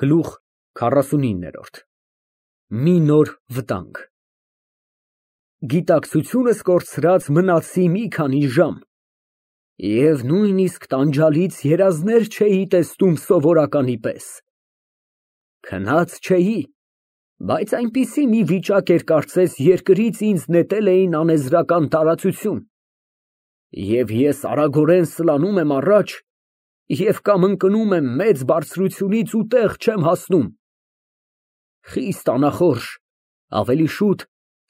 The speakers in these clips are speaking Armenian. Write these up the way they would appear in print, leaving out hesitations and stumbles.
Գլուխ 49 Մի նոր վտանգ Գիտակցությունս կորցրած մնացի մի քանի ժամ, և նույնիսկ տանջալից երազներ չէի տեսնում սովորականի պես։ Քնած չէի, բայց այնպիսի մի վիճակ էր, կարծես երկրից ինձ նետել էին անեզրական տարածություն, և ես արագորեն սլանում եմ առաջ և կամ ընկնում եմ մեծ բարձրությունից ու տեղ չեմ հասնում։ Խիստ անախորժ, ավելի շուտ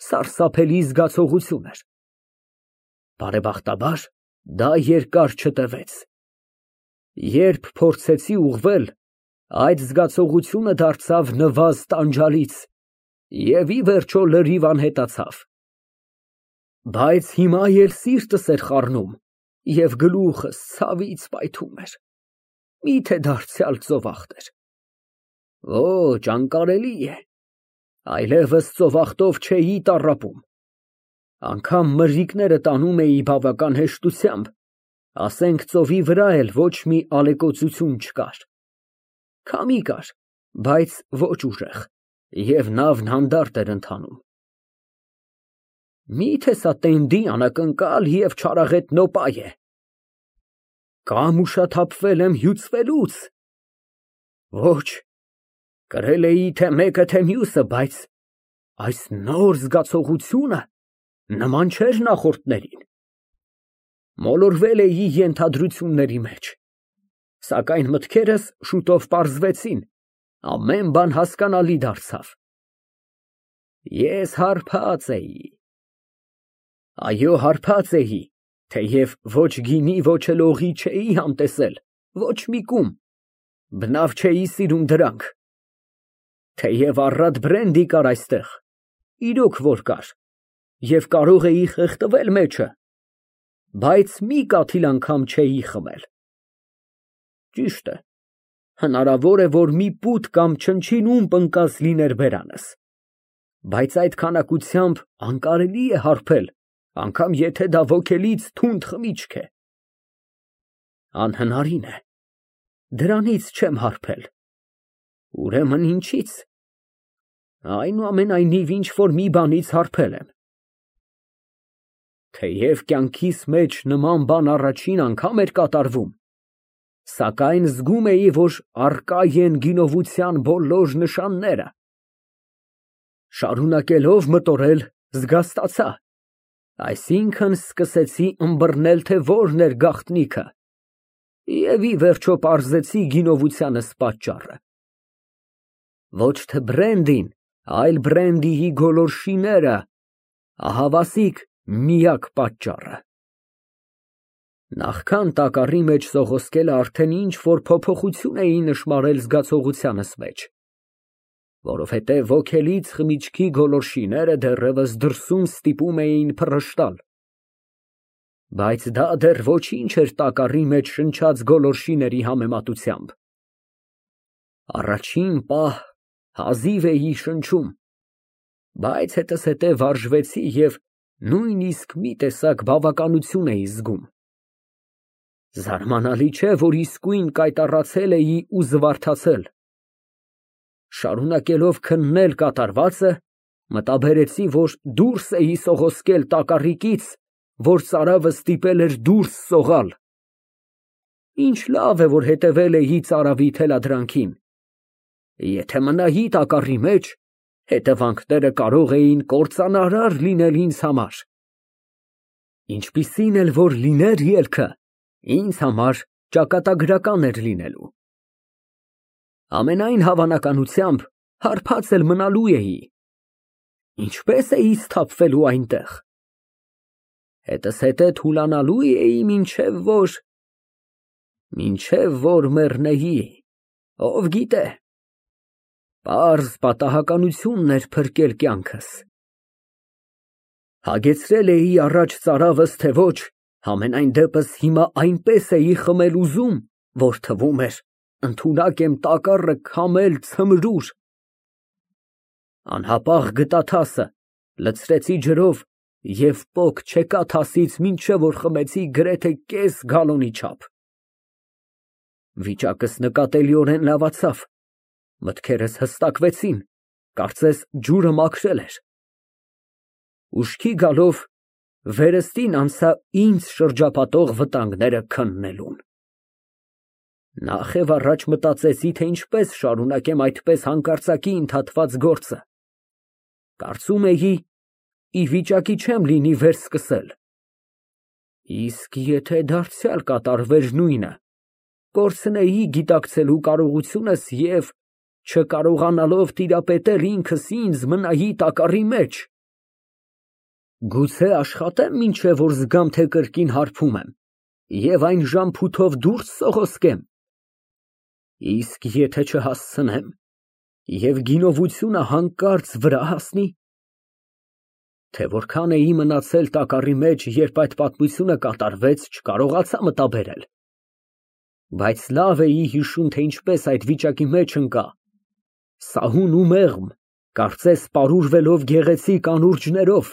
սարսափելի զգացողություն էր։ Բարեբախտաբար, դա երկար չտևեց։ Երբ փորձեցի ուղղվել, այդ զգացողությունը դարձավ նվազ տանջալից և ի վերջո լրիվ անհետացավ։ Բայց հիմա էլ սիրտս էր խառնում և գլուխս ցավից պայթում էր։ Մի՞թե դարձյալ ծովախտ էր։ Ոչ, անկարելի է, այլևս ծովախտով չէի տառապում։ Անգամ մրրիկները տանում էի բավական հեշտությամբ, ասենք ծովի վրա էլ ոչ մի ալեկոծություն չկար։ Քամի կար, բայց ոչ ուժեղ, և նավն հանդարտ էր ընթանում։ Մի՞թե սա տենդի անակնկալ և չարաղետ նոպա է։ Կամ ուշաթափվել եմ հյուծվելուց։ Ոչ, կրել էի թե մեկը, թե մյուսը, բայց այս նոր զգացողությունը նման չէր նախորդներին։ Մոլորվել էի ենթադրությունների մեջ, սակայն մտքերս շուտով պարզվեցին, ամեն բան հասկանալի դարձավ։ Ես հարբած էի։ Այո, հարբած էի, թեև ոչ գինի, ոչ էլ օղի չէի համտեսել, ոչ մի կում, բնավ չէի սիրում դրանք։ Թեև առատ բրենդի կար այստեղ, իրոք որ կար, և կարող էի խեղդվել մեջը, բայց մի կաթիլ անգամ չէի խմել։ Ճիշտ է, հնարավոր է, որ մի պուտ կամ չնչին ումպ ընկած լիներ բերանս, բայց այդ քանակությամբ անկարելի է հարբել, անգամ եթե դա ոգելից թունդ խմիչք է։ Անհնարին է, դրանից չեմ հարբել։ Ուրեմն ինչի՞ց։ Այնուամենայնիվ ինչ֊որ մի բանից հարբել եմ։ Թեև կյանքիս մեջ նման բան առաջին անգամ էր կատարվում, սակայն զգում էի, որ առկա են գինովության բոլոր նշանները։ Շարունակելով մտորել, զգաստացա, այսինքն սկսեցի ըմբռնել, թե որն էր գաղտնիքը, և ի վերջո պարզեցի գինովությանս պատճառը։ Ոչ թե բրենդին, այլ բրենդիի գոլորշիները, ահավասիկ միակ պատճառը։ Նախքան տակառի մեջ սողոսկելը արդեն ինչ֊որ փոփոխություն էի նշմարել զգացողությանս մեջ, որովհետև ոգելից խմիչքի գոլորշիները դեռևս դրսում ստիպում էին փռշտալ։ Բայց դա դեռ ոչինչ էր տակառի մեջ շնչած գոլորշիների համեմատությամբ։ Առաջին պահ հազիվ էի շնչում, բայց հետզհետե վարժվեցի և նույնիսկ մի տեսակ բավականություն էի զգում։ Զարմանալի չէ, որ իսկույն կայտառացել էի ու զվարթացել։ Շարունակելով քննել կատարվածը, մտաբերեցի, որ դուրս էի սողոսկել տակառիկից, որ ծարավը ստիպել էր դուրս սողալ։ Ինչ լավ է, որ հետևել էի ծարավի թելադրանքին։ Եթե մնայի տակառի մեջ, հետևանքները կարող էին կործանարար լինել ինձ համար։ Ինչպիսին էլ որ լիներ ելքը, ինձ համար ճակատագրական էր լինելու։ Ամենայն հավանականությամբ հարբած էլ մնալու էի։ Ինչպե՞ս էի սթափվելու այնտեղ։ Հետզհետե թուլանալու էի մինչև որ մեռնեի, ով գիտե։ Պարզ պատահականությունն էր փրկել կյանքս։ Հագեցրել էի առաջ ծարավս, թե ոչ, համենայն դեպս հիմա այնպես էի խմել ուզում, որ թվում էր ընդունակ եմ տակառը քամել ցմրուր։ Անհապաղ գտա թասը, լցրեցի ջրով և պոկ չեկա թասից, մինչև որ խմեցի գրեթե կես գալոնի չափ։ Վիճակս նկատելիորեն լավացավ, Մտքերս հստակվեցին, կարծես ջուրը մաքրել էր։ Ուշքի գալով վերստին անցա ինձ շրջապատող վտանգները քննելուն։ Նախ և առաջ մտածեցի, թե ինչպես շարունակեմ այդպես հանկարծակի ընդհատված գործը։ Կարծում էի, ի վիճակի չեմ լինի վերսկսել։ Իսկ եթե դարձյալ կատարվեր նույնը, կորցնեի գիտակցելու կարողությունս և, չկարողանալով տիրապետել ինքս ինձ, մնայի տակառի մեջ։ Գուցե աշխատեմ, մինչև որ զգամ, թե կրկին հարբում եմ, և այն ժամփութով դուրս սողոսկեմ։ Իսկ եթե չհասցնեմ, և գինովությունը հանկարծ վրա հասնի։ Թե որքան էի մնացել տակառի մեջ, երբ այդ պատմությունը կատարվեց, չկարողացա մտաբերել։ Բայց լավ էի հիշում, թե ինչպես այդ վիճակի մեջ ընկա, սահուն ու մեղմ, կարծես պարուրվելով գեղեցիկ անուրջներով,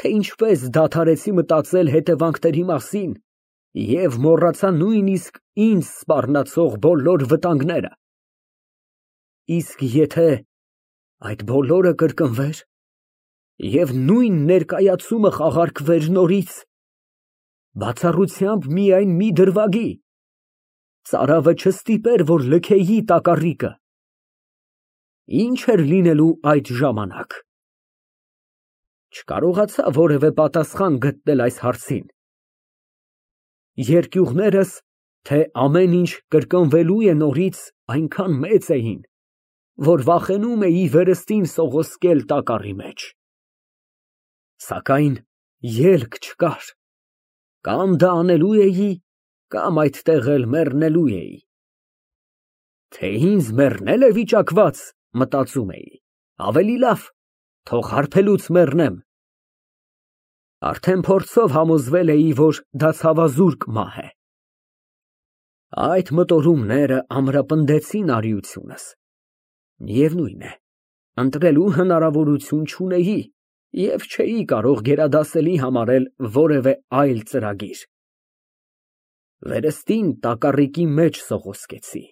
թե ինչպես դադարեցի մտածել հետևանքների մասին և մոռացա նույնիսկ ինձ սպառնացող բոլոր վտանգները։ Իսկ եթե այդ բոլորը կրկնվեր և նույն ներկայացումը խաղարկվեր նորից, բացառությամբ միայն մի դրվագի, ծարավը չստիպեր, որ լքեի տակառիկը, ի՞նչ էր լինելու այդ ժամանակ։ Չկարողացա որևէ պատասխան գտնել այս հարցին։ Երկյուղներս, թե ամեն ինչ կրկնվելու է նորից, այնքան մեծ էին, որ վախենում էի վերստին սողոսկել տակառի մեջ։ Սակայն ելք չկար. կամ դա անելու էի, կամ այդտեղ էլ մեռնելու էի։ Թե ինձ մեռնել է վիճակված, մտածում էի, ավելի լավ, թող հարբելուց մեռնեմ։ Արդեն փորձով համոզվել էի, որ դա ցավազուրկ մահ է։ Այդ մտորումները ամրապնդեցին արիությունս։ Միևնույն է, ընտրելու հնարավորություն չունեի և չէի կարող գերադասելի համարել որևէ այլ ծրագիր։ Վերստին տակառիկի մեջ սողոսկեցի։